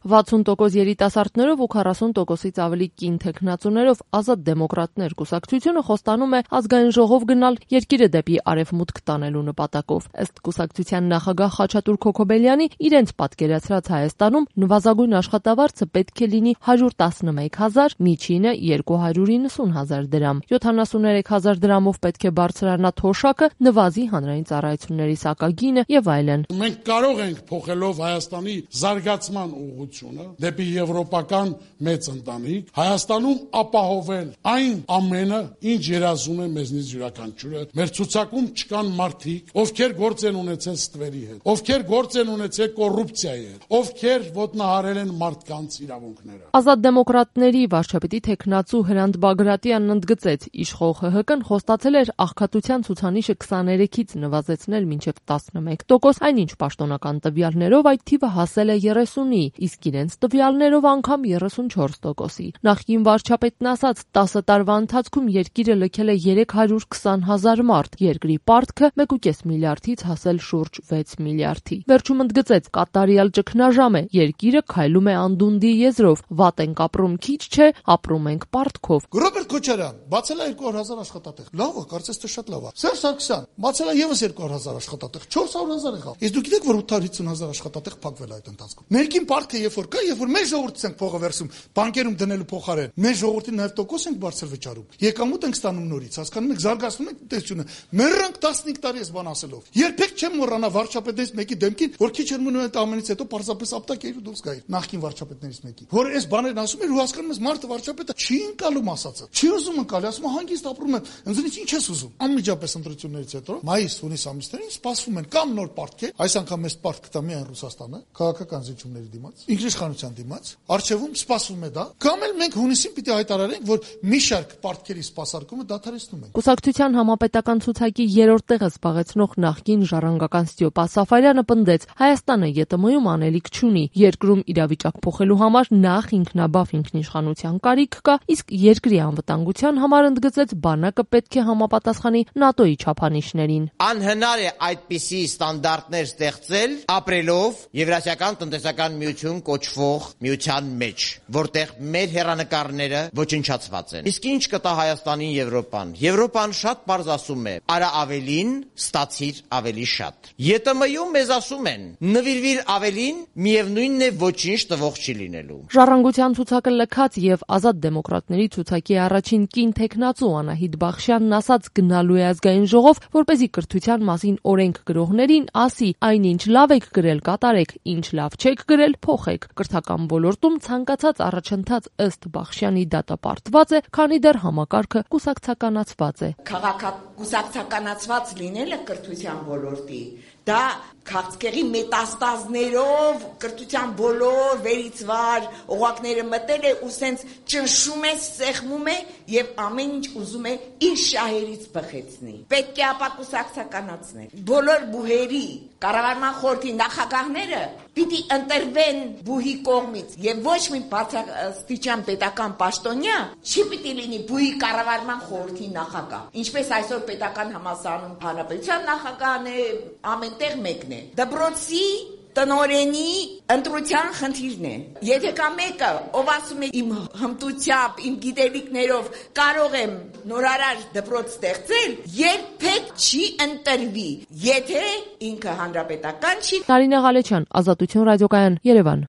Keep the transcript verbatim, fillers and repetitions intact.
վաթսուն տոկոս երիտասարդներով ու քառասուն տոկոսից ավելի կին թեկնածուներով Ազատ դեմոկրատներ կուսակցությունը խոստանում է ազգային ժողով գնալ երկիրը դեպի արևմուտք տանելու նպատակով։ Ըստ կուսակցության նախագահ Խաչատուր Քոքոբելյանի, իրենց պատկերացրած Հայաստանում նվազագույն աշխատավարձը պետք է լինի հարյուր տասնմեկ հազար, միջինը երկու հարյուր իննսուն հազար դրամ, յոթանասուններեք հազար դրամով պետք է բարձրանա թոշակը, նվազի հանրային ծառայությունների սակագինը եւ այլն։ Մենք կարող ենք փոխելով Հայաստանի զարգացման ուղղությունը դեպի եվրոպական մեծ ընտանիք Հայաստանում ապահովել այն ամենը, ինչ երազում է մեզնից յուրաքանչյուրը։ Մեր ցուցակում չկան մարդիկ, ովքեր գործ են ունեցել ստվերի հետ, ովքեր գործ են ունեցել կոռուպցիայի հետ, ովքեր ոտնահարել են մարդկանց իրավունքները։ Ազատ դեմոկրատների վարչապետի թեկնածու Հրանտ Բագրատյանն ընդգծեց, իշխող ՀՀԿ-ն խոստացել էր աղքատության ցուցանիշը քսաներեքից նվազեցնել մինչև տասնմեկ տոկոս, այնինչ պաշտոնական տվյալներով այդ թիվը հասել է երեսունի, իսկ իրենց տվյալներով անգամ երեսունչորս տոկոսի։ Նախկին վարչապետն ասաց, տասը տարվա ընթացքում երկիրը լքել է երեք հարյուր քսան հազար մարդ, երկրի պարտքը մեկուկես միլիարդից հասել շուրջ վեց միլիարդի։ Վերջում ընդգծեց, կատարյալ ճգնաժամ է, երկիրը քայլում է անդունդի եզրով, վատ ենք ապրում քիչ չէ, ապրում ենք պարտքով։ Ռոբերտ Քոչարյան բացել է երկու հարյուր հազար աշխատատեղ։ Լավ է, կարծես թե շատ լավ է։ Սերժ Սարգսյան բացել է եւս երկու հարյուր հազար աշխատատեղ, չորս հարյուր հազար եղավ։ Իսկ դուք գիտեք, որ ութ հարյուր հիսուն հազար աշխատատեղ փակվել է այդ ընթացքում։ Ներքին պարտքը երբ որ կա, երբ որ մեր ժողովուրդից ենք փողը վերցում, բանկերում դնելու փոխարեն, մեր ժողովրդին նաեւ տոկոս ենք բարձր վճարում։ Եկամուտ ենք ստանում նորից, հասկանում եք, զարգացնում ենք տնտեսությունը։ Մեռանք տասնհինգ տարի այս բան ասելով։ Երբեք չեմ մոռանա վարչապետներից մեկի դեմքին, որ քիչ էր մնում այդ ամենից հետո պարզապես ապտակ էր ու դուրս գայր։ Նախկին վարչապետներից մեկի, որ այս բաներն ասում էր ու հասկանում ես, մարդը վարչապետը չի ընկալում ասածը։ Չի ուզում ընկալի, ասում է հանգիստ ապրում եմ, ինձնից ինչ ես ուզում։ Անմիջապես ընտրություններից հետո մայիս, հունիս ամիսներին սպասվում են կամ նոր պարտքեր, այս անգամ այս պարտքը տա միայն Ռուսաստանը, քաղաքական զիջումների դիմաց, ինքնիշխանության դիմաց, արժևում սպասվում է դա, կամ էլ մենք հունիսին պիտի հայտարարենք, որ մի շարք պարտքերի սպասարկումը դադարեցնում ենք։ Կուսակցության համապետական ցուցակի երրորդ տեղը զբաղեցնող նախկին ժառանգական Ստեփա Սաֆարյանը պնդեց, Հայաստանը ԵՏՄ-ում անելիք չունի, երկրում իրավիճակ փոխելու համար նախ ինքնաբավ ինքնիշխանության կարիք կա, իսկ երկրի անվտանգության համար ընդգծեց, բանակը պետք է համապատասխանի ՆԱՏՕ-ի չափանիշներին։ Անհնար է այդպիսի ստանդարտներ ստեղծել ապրելով Եվրասիական տնտեսական միություն կոչվող միության մեջ, որտեղ մեր հեռանկարները ոչնչացված են։ Իսկ ինչ կտա Հայաստանին Եվրոպան։ Եվրոպան շատ պարզ ասում է՝ արա ավելին, ստացիր ավելի շատ։ ԵՏՄ-ում մեզ ասում են՝ նվիրվիր ավելին, միևնույնն է ոչինչ տվող չի լինելու։ Ժառանգության ցուցակը լքած եւ Ազատ դեմոկրատների ցուցակի առաջին կին թեկնածու Անահիտ Բախշյանն ասաց, գնալու է ազգային ժողով, որպեսզի կրթության մասին օրենք գրողներին ասի, այնինչ լավ եք գրել, կատարեք, ինչ լավ չեք գրել, փոխեք։ Կրթական ոլորտում ցանկացած առաջընթաց ըստ Բախշյանի դատապարտված է, քանի դեռ համակարգը կուսակցականացված է։ Քաղաքակուսակցականացված լինելը կրթության ոլորտի դա քաղցկեղի մետաստազներով կրթության բոլոր վերից վար օղակները մտել է ու սենց ճնշում է, սեղմում է եւ ամեն ինչ ուզում է իր շահերից բխեցնի։ Պետք է ապա կուսակցականացնել։ Բոլոր բուհերի կառավարման խորհրդի նախագահները պիտի ընտրվեն բուհի կողմից եւ ոչ մի բարձրաստիճան պետական պաշտոնյա չի պիտի լինի բուհի կառավարման խորհրդի նախագահ։ Ինչպես այսօր պետական համալսարանում հանրապետության նախագահն է, ամենտեղ մեկն է։ Դպրոցի տնօրենի ընտրության խնդիրն է։ Եթե կա մեկը, ով ասում է իմ հմտությամբ, իմ գիտելիքներով կարող եմ նորարար դպրոց ստեղծել, երբեք չի ընտրվի, եթե ինքը հանրապետական չի։ Տարինե Ղալեչյան, Ազատություն ռադիոկայան, Երևան։